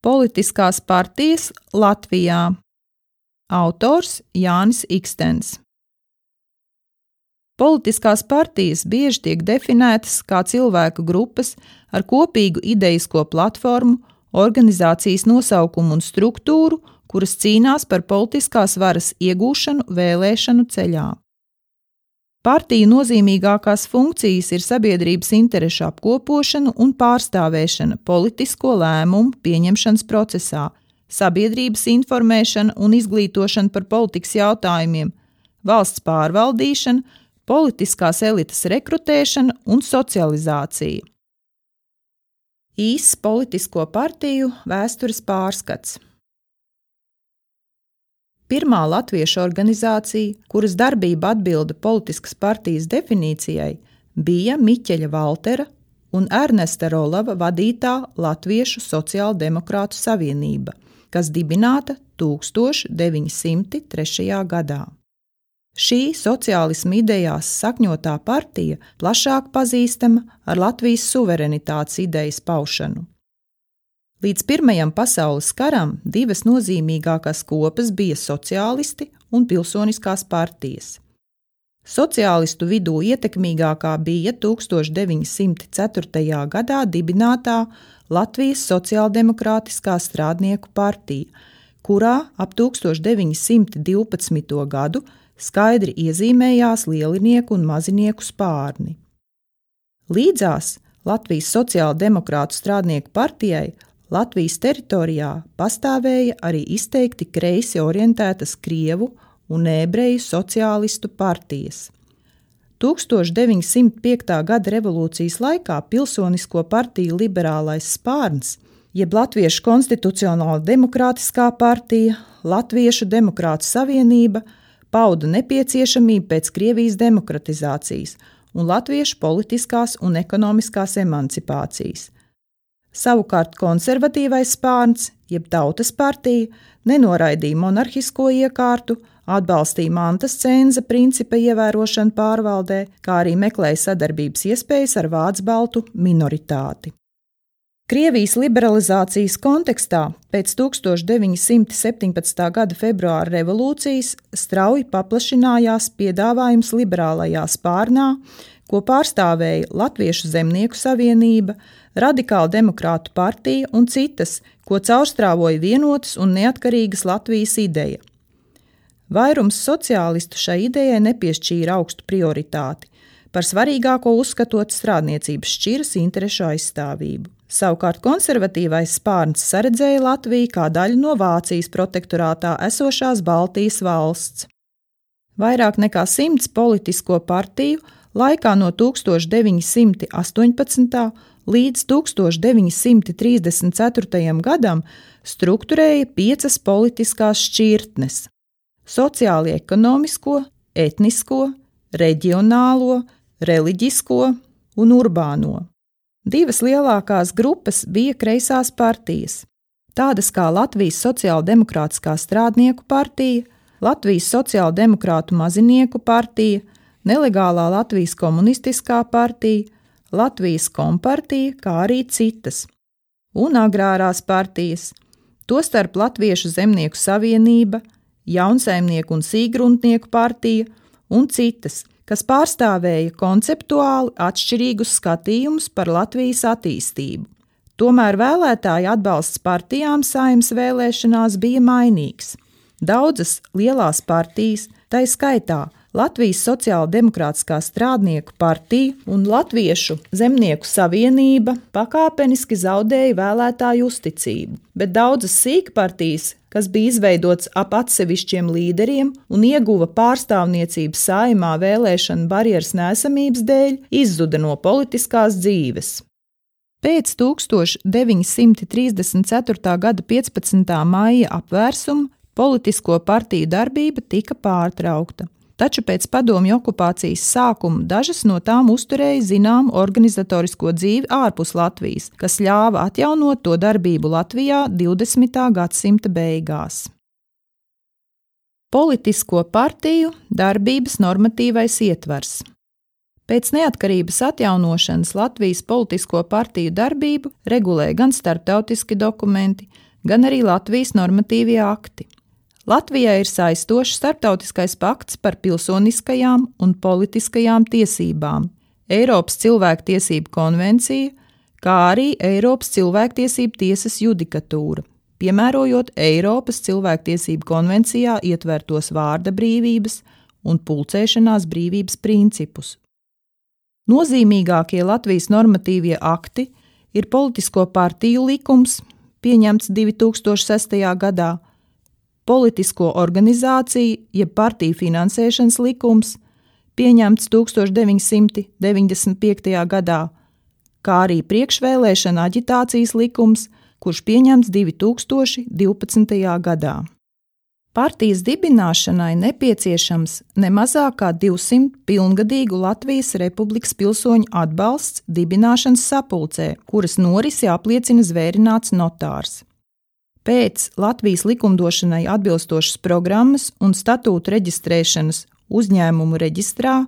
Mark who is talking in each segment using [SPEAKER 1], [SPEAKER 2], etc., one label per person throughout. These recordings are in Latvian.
[SPEAKER 1] Politiskās partijas Latvijā. Autors Jānis Ikstens. Politiskās partijas bieži tiek definētas kā cilvēku grupas ar kopīgu idejisko platformu, organizācijas nosaukumu un struktūru, kuras cīnās par politiskās varas iegūšanu vēlēšanu ceļā. Partiju nozīmīgākās funkcijas ir sabiedrības interešu apkopošana un pārstāvēšana politisko lēmumu pieņemšanas procesā, sabiedrības informēšana un izglītošana par politikas jautājumiem, valsts pārvaldīšana, politiskās elites rekrutēšana un socializācija. Īss politisko partiju vēstures pārskats. Pirmā latviešu organizācija, kuras darbība atbilda politiskas partijas definīcijai, bija Miķeļa Valtera un Ernesta Rolava vadītā Latviešu sociāldemokrātu savienība, kas dibināta 1903. gadā. Šī sociālisma idejās sakņotā partija plašāk pazīstama ar Latvijas suverenitātes idejas paušanu. Līdz Pirmajam pasaules karam divas nozīmīgākās kopas bija sociālisti un pilsoniskās partijas. Sociālistu vidū ietekmīgākā bija 1904. gadā dibinātā Latvijas sociāldemokrātiskā strādnieku partija, kurā ap 1912. gadu skaidri iezīmējās lielinieku un mazinieku spārni. Līdzās Latvijas sociāldemokrātu strādnieku partijai Latvijas teritorijā pastāvēja arī izteikti kreisi orientētas krievu un ebreju sociālistu partijas. 1905. gada revolūcijas laikā pilsonisko partiju liberālais spārns, jeb Latviešu konstitucionāla demokrātiskā partija, Latviešu demokrātu savienība pauda nepieciešamību pēc Krievijas demokratizācijas un latviešu politiskās un ekonomiskās emancipācijas. Savukārt konservatīvais spārns, jeb Tautas partija, nenoraidīja monarhisko iekārtu, atbalstīja mantas cenza principa ievērošanu pārvaldē, kā arī meklēja sadarbības iespējas ar vācu-baltu minoritāti. Krievijas liberalizācijas kontekstā pēc 1917. gada februāra revolūcijas strauji paplašinājās piedāvājums liberālajā spārnā, ko pārstāvēja Latviešu zemnieku savienība, Radikāla demokrātu partija un citas, ko caurstrāvoja vienotas un neatkarīgas Latvijas ideja. Vairums sociālistu šai idejai nepiešķīra augstu prioritāti, par svarīgāko uzskatot strādniecības šķiras interešu aizstāvību. Savukārt konservatīvais spārns saredzēja Latviju kā daļu no Vācijas protektorātā esošās Baltijas valsts. Vairāk nekā 100 politisko partiju laikā no 1918. līdz 1934. gadam strukturēja 5 politiskās šķirtnes – sociāli ekonomisko, etnisko, reģionālo, reliģisko un urbāno. 2 lielākās grupas bija kreisās partijas, tādas kā Latvijas sociāldemokrātiskā strādnieku partija, Latvijas sociāldemokrātu mazinieku partija, nelegālā Latvijas komunistiskā partija, Latvijas kompartija, kā arī citas, un agrārās partijas, tostarp Latviešu zemnieku savienība, jaunsaimnieku un sīgruntnieku partija un citas, kas pārstāvēja konceptuāli atšķirīgus skatījumus par Latvijas attīstību. Tomēr vēlētāju atbalsts partijām Saeimas vēlēšanās bija mainīgs. Daudzas lielās partijas, tai skaitā Latvijas sociāldemokrātiskā strādnieku partija un Latviešu zemnieku savienība pakāpeniski zaudēja vēlētāju uzticību, bet daudzas sīkpartijas, kas bija izveidotas ap atsevišķiem līderiem un ieguva pārstāvniecību Saeimā vēlēšanu barjeras neesamības dēļ, izzuda no politiskās dzīves. Pēc 1934. gada 15. maija apvērsuma politisko partiju darbība tika pārtraukta. Taču pēc padomju okupācijas sākuma dažas no tām uzturēja zināmu organizatorisko dzīvi ārpus Latvijas, kas ļāva atjaunot to darbību Latvijā 20. gadsimta beigās. Politisko partiju darbības normatīvais ietvers. Pēc neatkarības atjaunošanas Latvijas politisko partiju darbību regulē gan starptautiski dokumenti, gan arī Latvijas normatīvie akti. Latvijai ir saistošs starptautiskais pakts par pilsoniskajām un politiskajām tiesībām, Eiropas cilvēktiesību konvencija, kā arī Eiropas cilvēktiesību tiesas judikatūra, piemērojot Eiropas cilvēktiesību konvencijā ietvertos vārda brīvības un pulcēšanās brīvības principus. Nozīmīgākie Latvijas normatīvie akti ir politisko partiju likums, pieņemts 2006. gadā, politisko organizāciju jeb partiju finansēšanas likums, pieņemts 1995. gadā, kā arī priekšvēlēšana aģitācijas likums, kurš pieņemts 2012. gadā. Partijas dibināšanai nepieciešams ne mazāk kā 200 pilngadīgu Latvijas Republikas pilsoņu atbalsts dibināšanas sapulcē, kuras norisi apliecina zvērināts notārs. Pēc Latvijas likumdošanai atbilstošas programmas un statūtu reģistrēšanas uzņēmumu reģistrā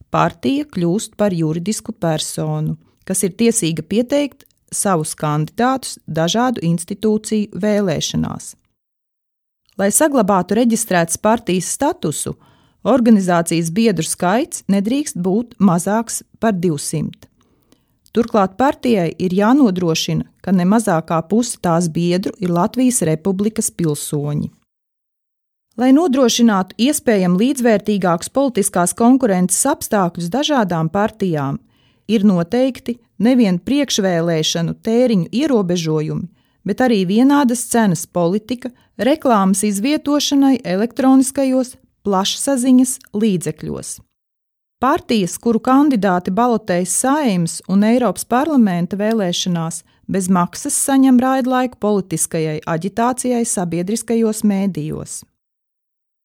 [SPEAKER 1] partija kļūst par juridisku personu, kas ir tiesīga pieteikt savus kandidātus dažādu institūciju vēlēšanās. Lai saglabātu reģistrētas partijas statusu, organizācijas biedru skaits nedrīkst būt mazāks par 200. Turklāt partijai ir jānodrošina, ka ne mazākā puse tās biedru ir Latvijas Republikas pilsoņi. Lai nodrošinātu iespējami līdzvērtīgākus politiskās konkurences apstākļus dažādām partijām, ir noteikti nevien priekšvēlēšanu tēriņu ierobežojumi, bet arī vienādas cenas politika reklāmas izvietošanai elektroniskajos plašsaziņas līdzekļos. Partijas, kuru kandidāti balotējas Saeimas un Eiropas parlamenta vēlēšanās, bez maksas saņem raidlaiku politiskajai aģitācijai sabiedriskajos mēdījos.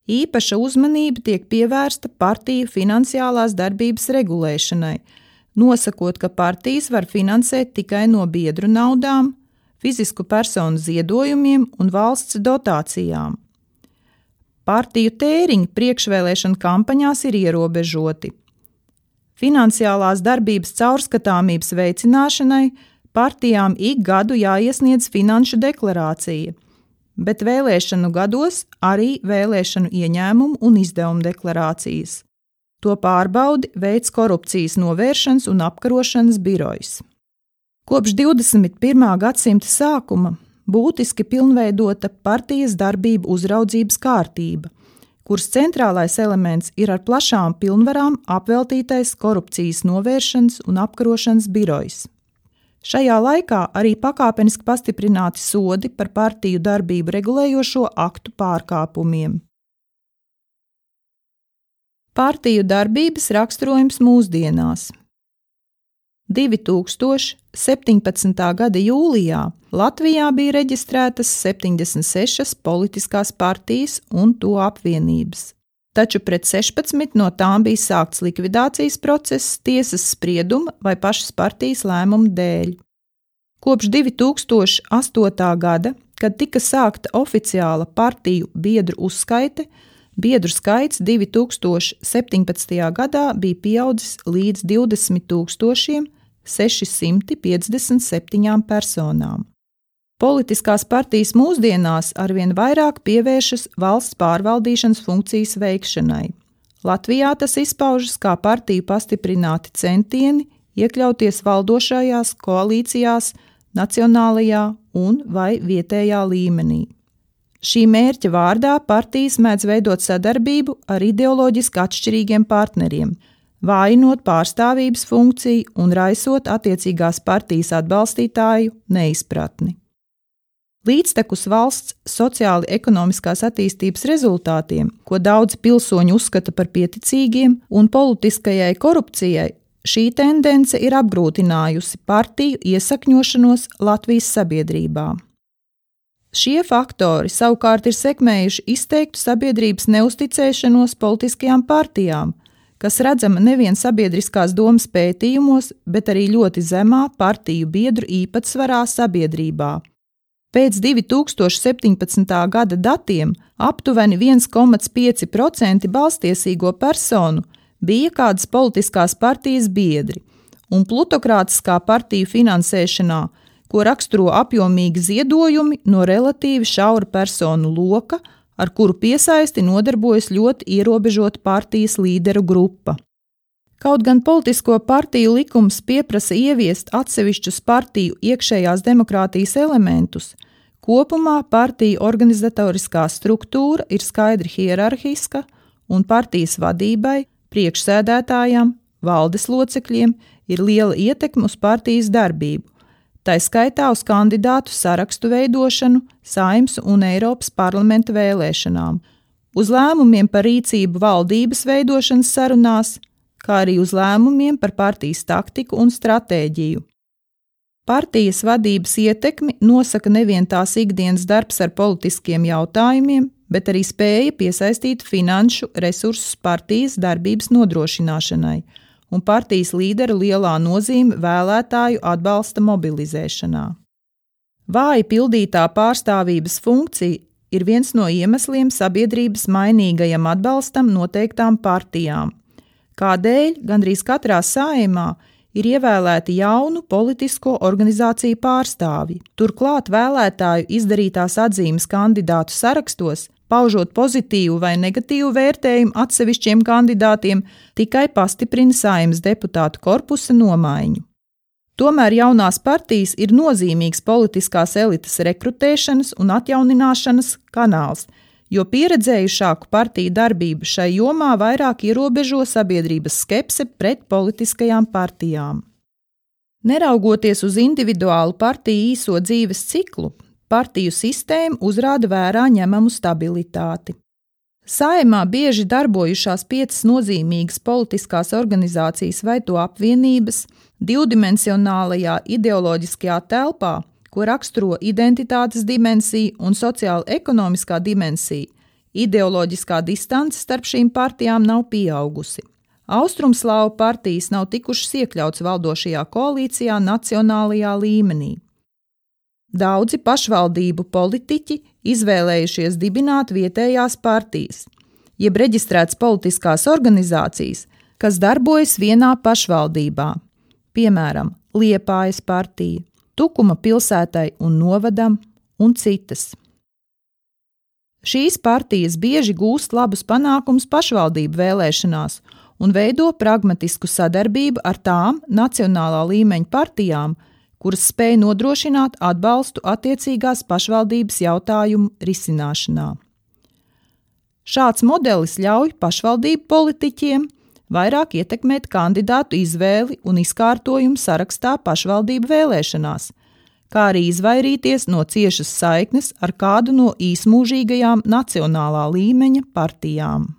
[SPEAKER 1] Īpaša uzmanība tiek pievērsta partiju finansiālās darbības regulēšanai, nosakot, ka partijas var finansēt tikai no biedru naudām, fizisku personu ziedojumiem un valsts dotācijām. Partiju tēriņi priekšvēlēšana kampaņās ir ierobežoti. Finansiālās darbības caurskatāmības veicināšanai partijām ik gadu jāiesniedz finanšu deklarācija, bet vēlēšanu gados arī vēlēšanu ieņēmumu un izdevumu deklarācijas. To pārbaudi veids Korupcijas novēršanas un apkarošanas birojs. Kopš 21. gadsimta sākuma būtiski pilnveidota partijas darbību uzraudzības kārtība, kuras centrālais elements ir ar plašām pilnvarām apveltītais Korupcijas novēršanas un apkarošanas birojs. Šajā laikā arī pakāpeniski pastiprināti sodi par partiju darbību regulējošo aktu pārkāpumiem. Partiju darbības raksturojums mūsdienās. 2017. gada jūlijā Latvijā bija reģistrētas 76 politiskās partijas un to apvienības, taču pret 16 no tām bija sākts likvidācijas process tiesas sprieduma vai pašas partijas lēmuma dēļ. Kopš 2008. gada, kad tika sākta oficiāla partiju biedru uzskaite, biedru skaits 2017. gadā bija pieaudzis līdz 20 657 personām. Politiskās partijas mūsdienās arvien vairāk pievēršas valsts pārvaldīšanas funkcijas veikšanai. Latvijā tas izpaužas kā partiju pastiprināti centieni iekļauties valdošajās koalīcijās nacionālajā un vai vietējā līmenī. Šī mērķa vārdā partijas mēdz veidot sadarbību ar ideoloģiski atšķirīgiem partneriem, vājinot pārstāvības funkciju un raisot attiecīgās partijas atbalstītāju neizpratni. Līdztekus valsts sociāli-ekonomiskās attīstības rezultātiem, ko daudzi pilsoņi uzskata par pieticīgiem, un politiskajai korupcijai, šī tendence ir apgrūtinājusi partiju iesakņošanos Latvijas sabiedrībā. Šie faktori savukārt ir sekmējuši izteiktu sabiedrības neusticēšanos politiskajām partijām, kas redzama nevien sabiedriskās domas pētījumos, bet arī ļoti zemā partiju biedru īpatsvarā sabiedrībā. Pēc 2017. gada datiem aptuveni 1,5% balstiesīgo personu bija kādas politiskās partijas biedri, un plutokrātiskā partiju finansēšanā, ko raksturo apjomīgi ziedojumi no relatīvi šaura personu loka, ar kuru piesaisti nodarbojas ļoti ierobežota partijas līderu grupa. Kaut gan politisko partiju likums pieprasa ieviest atsevišķus partiju iekšējās demokrātijas elementus, kopumā partiju organizatoriskā struktūra ir skaidri hierarhiska un partijas vadībai, priekšsēdētājām, valdes locekļiem ir liela ietekme uz partijas darbību, tai skaitā uz kandidātu sarakstu veidošanu, Saeimas un Eiropas parlamenta vēlēšanām, uz lēmumiem par rīcību valdības veidošanas sarunās, kā arī uz lēmumiem par partijas taktiku un stratēģiju. Partijas vadības ietekmi nosaka nevien tās ikdienas darbs ar politiskiem jautājumiem, bet arī spēja piesaistīt finanšu resursus partijas darbības nodrošināšanai un partijas līderu lielā nozīme vēlētāju atbalsta mobilizēšanā. Vāji pildītā pārstāvības funkcija ir viens no iemesliem sabiedrības mainīgajam atbalstam noteiktām partijām, kādēļ gandrīz katrā Saeimā ir ievēlēti jaunu politisko organizāciju pārstāvji. Turklāt vēlētāju izdarītās atzīmes kandidātu sarakstos, paužot pozitīvu vai negatīvu vērtējumu atsevišķiem kandidātiem, tikai pastiprina Saeimas deputātu korpusa nomaiņu. Tomēr jaunās partijas ir nozīmīgs politiskās elites rekrutēšanas un atjaunināšanas kanāls, jo pieredzējušāku partiju darbību šai jomā vairāk ierobežo sabiedrības skepse pret politiskajām partijām. Neraugoties uz individuālu partiju īso dzīves ciklu, partiju sistēma uzrāda vērā ņemamu stabilitāti. Saeimā bieži darbojušās 5 nozīmīgas politiskās organizācijas vai to apvienības divdimensionālajā ideoloģiskajā telpā, ko raksturo identitātes dimensija un sociāla-ekonomiskā dimensija, ideoloģiskā distance starp šīm partijām nav pieaugusi. Austrumslāvu partijas nav tikušas iekļauts valdošajā koalīcijā nacionālajā līmenī. Daudzi pašvaldību politiķi izvēlējušies dibināt vietējās partijas, jeb reģistrētas politiskās organizācijas, kas darbojas vienā pašvaldībā, piemēram, Liepājas partija, Tukuma pilsētai un novadam un citas. Šīs partijas bieži gūst labus panākumus pašvaldību vēlēšanās un veido pragmatisku sadarbību ar tām nacionālā līmeņa partijām, kuras spēj nodrošināt atbalstu attiecīgās pašvaldības jautājumu risināšanā. Šāds modelis ļauj pašvaldību politiķiem vairāk ietekmēt kandidātu izvēli un izkārtojumu sarakstā pašvaldību vēlēšanās, kā arī izvairīties no ciešas saiknes ar kādu no īsmūžīgajām nacionālā līmeņa partijām.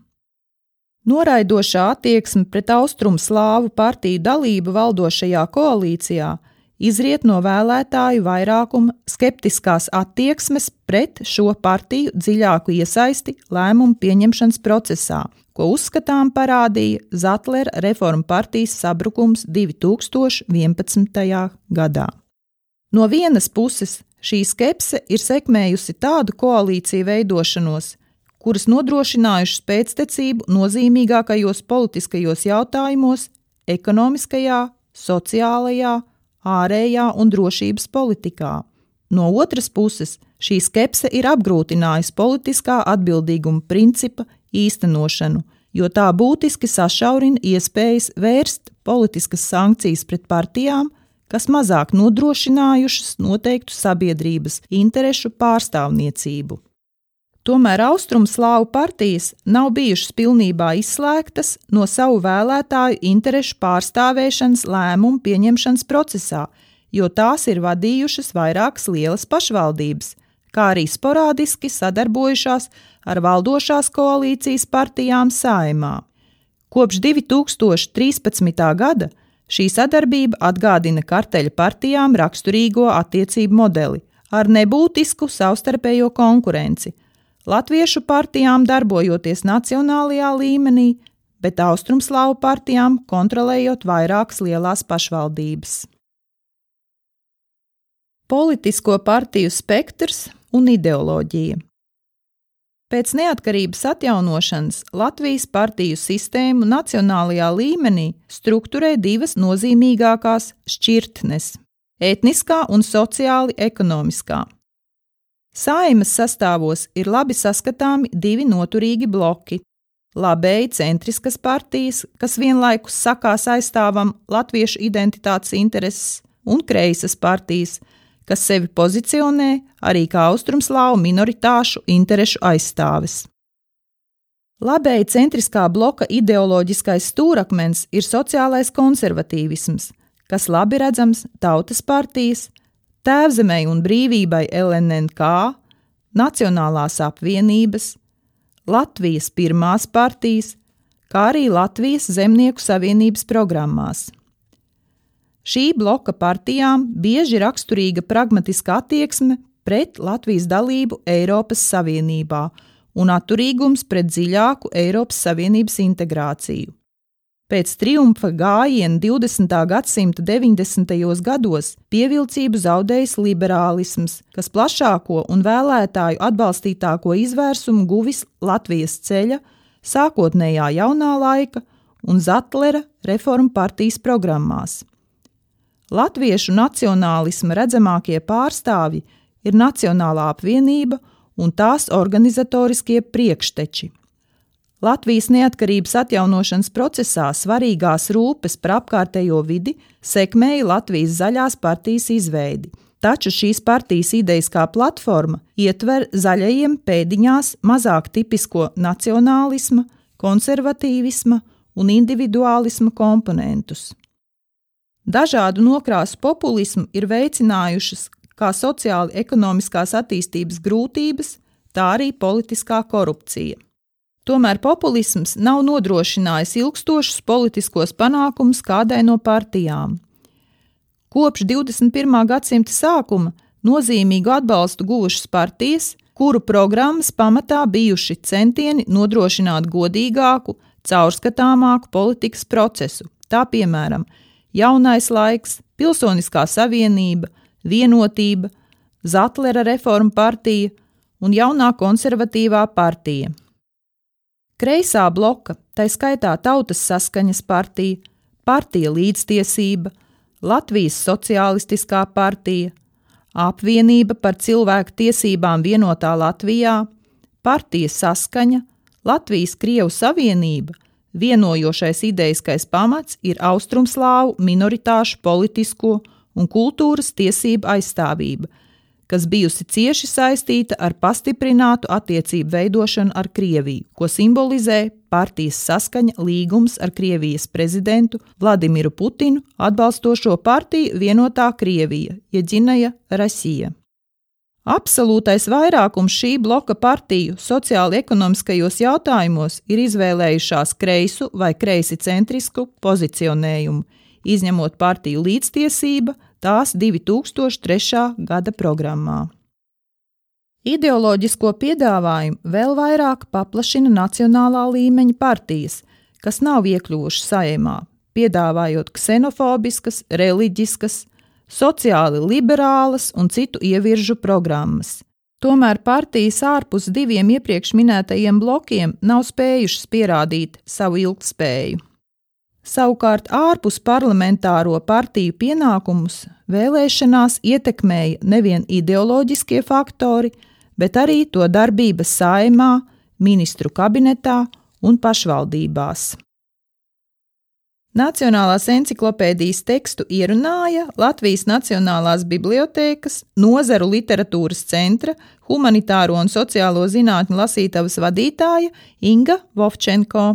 [SPEAKER 1] Noraidošā attieksme pret austrumslāvu partiju dalību valdošajā koalīcijā izriet no vēlētāju vairākuma skeptiskās attieksmes pret šo partiju dziļāku iesaisti lēmumu pieņemšanas procesā, ko uzskatām parādīja Zatlera reformu partijas sabrukums 2011. gadā. No vienas puses šī skepse ir sekmējusi tādu koalīciju veidošanos, kuras nodrošinājušas pēctecību nozīmīgākajos politiskajos jautājumos – ekonomiskajā, sociālajā, ārējā un drošības politikā. No otras puses, šī skepse ir apgrūtinājusi politiskā atbildīguma principa īstenošanu, jo tā būtiski sašaurina iespējas vērst politiskas sankcijas pret partijām, kas mazāk nodrošinājušas noteiktu sabiedrības interešu pārstāvniecību. Tomēr austrumslāvu partijas nav bijušas pilnībā izslēgtas no savu vēlētāju interešu pārstāvēšanas lēmumu pieņemšanas procesā, jo tās ir vadījušas vairākas lielas pašvaldības, kā arī sporādiski sadarbojušās ar valdošās koalīcijas partijām Saeimā. Kopš 2013. gada šī sadarbība atgādina karteļa partijām raksturīgo attiecību modeli ar nebūtisku savstarpējo konkurenci, latviešu partijām darbojoties nacionālajā līmenī, bet austrumslāvu partijām kontrolējot vairākas lielās pašvaldības. Politisko partiju spektrs un ideoloģija. Pēc neatkarības atjaunošanas Latvijas partiju sistēmu nacionālajā līmenī strukturē 2 nozīmīgākās šķirtnes etniskā un sociāli ekonomiskā. Saeimas sastāvos ir labi saskatāmi divi noturīgi bloki – labēji centriskas partijas, kas vienlaikus sakās aizstāvam latviešu identitātes intereses, un kreisas partijas, kas sevi pozicionē arī kā austrumslāvu minoritāšu interešu aizstāves. Labēji centriskā bloka ideoloģiskais stūrakmens ir sociālais konservatīvisms, kas labi redzams Tautas partijas, Tēvzemei un brīvībai LNNK, Nacionālās apvienības, Latvijas pirmās partijas, kā arī Latvijas Zemnieku savienības programmās. Šī bloka partijām bieži raksturīga pragmatiska attieksme pret Latvijas dalību Eiropas Savienībā un atturīgums pret dziļāku Eiropas Savienības integrāciju. Pēc triumfa gājiena 20. gadsimta 90. gados pievilcību zaudējis liberālisms, kas plašāko un vēlētāju atbalstītāko izvērsumu guvis Latvijas ceļa, sākotnējā jaunā laika un Zatlera reformu partijas programmās. Latviešu nacionālisma redzamākie pārstāvji ir Nacionālā apvienība un tās organizatoriskie priekšteči. Latvijas neatkarības atjaunošanas procesā svarīgās rūpes par apkārtējo vidi sekmēja Latvijas zaļās partijas izveidi, taču šīs partijas idejiskā platforma ietver zaļajiem pēdiņās mazāk tipisko nacionālisma, konservatīvisma un individuālisma komponentus. Dažādu nokrāsu populismu ir veicinājušas kā sociāli ekonomiskās attīstības grūtības, tā arī politiskā korupcija. Tomēr populisms nav nodrošinājis ilgstošus politiskos panākumus kādai no partijām. Kopš 21. gadsimta sākuma nozīmīgu atbalstu guvušas partijas, kuru programmas pamatā bijuši centieni nodrošināt godīgāku, caurskatāmāku politikas procesu, tā piemēram Jaunais laiks, Pilsoniskā savienība, Vienotība, Zatlera reforma partija un jaunā konservatīvā partija. Kreisā bloka, tai skaitā Tautas saskaņas partija, Partija līdztiesība, Latvijas sociālistiskā partija, Apvienība par cilvēku tiesībām vienotā Latvijā, Partija saskaņa, Latvijas Krievu savienība, vienojošais idejiskais pamats ir austrumslāvu minoritāšu politisko un kultūras tiesību aizstāvība, kas bijusi cieši saistīta ar pastiprinātu attiecību veidošanu ar Krieviju, ko simbolizē Partijas saskaņa līgums ar Krievijas prezidentu Vladimiru Putinu atbalstošo partiju Vienotā Krievija, Jedinaja Rasija. Absolūtais vairākums šī bloka partiju sociāli ekonomiskajos jautājumos ir izvēlējušās kreisu vai kreisi centrisku pozicionējumu, izņemot partiju līdztiesība tās 2003. gada programmā. Ideoloģisko piedāvājumu vēl vairāk paplašina nacionālā līmeņa partijas, kas nav iekļuvušas Saeimā, piedāvājot ksenofobiskas, reliģiskas, sociāli liberālas un citu ieviržu programmas. Tomēr partijas ārpus diviem iepriekš minētajiem blokiem nav spējušas pierādīt savu ilgtspēju. Savukārt ārpus parlamentāro partiju pienākumus vēlēšanās ietekmēja nevien ideoloģiskie faktori, bet arī to darbības Saeimā, ministru kabinetā un pašvaldībās. Nacionālās enciklopēdijas tekstu ierunāja Latvijas Nacionālās bibliotēkas, nozaru literatūras centra, humanitāro un sociālo zinātņu lasītavas vadītāja Inga Vovčenko.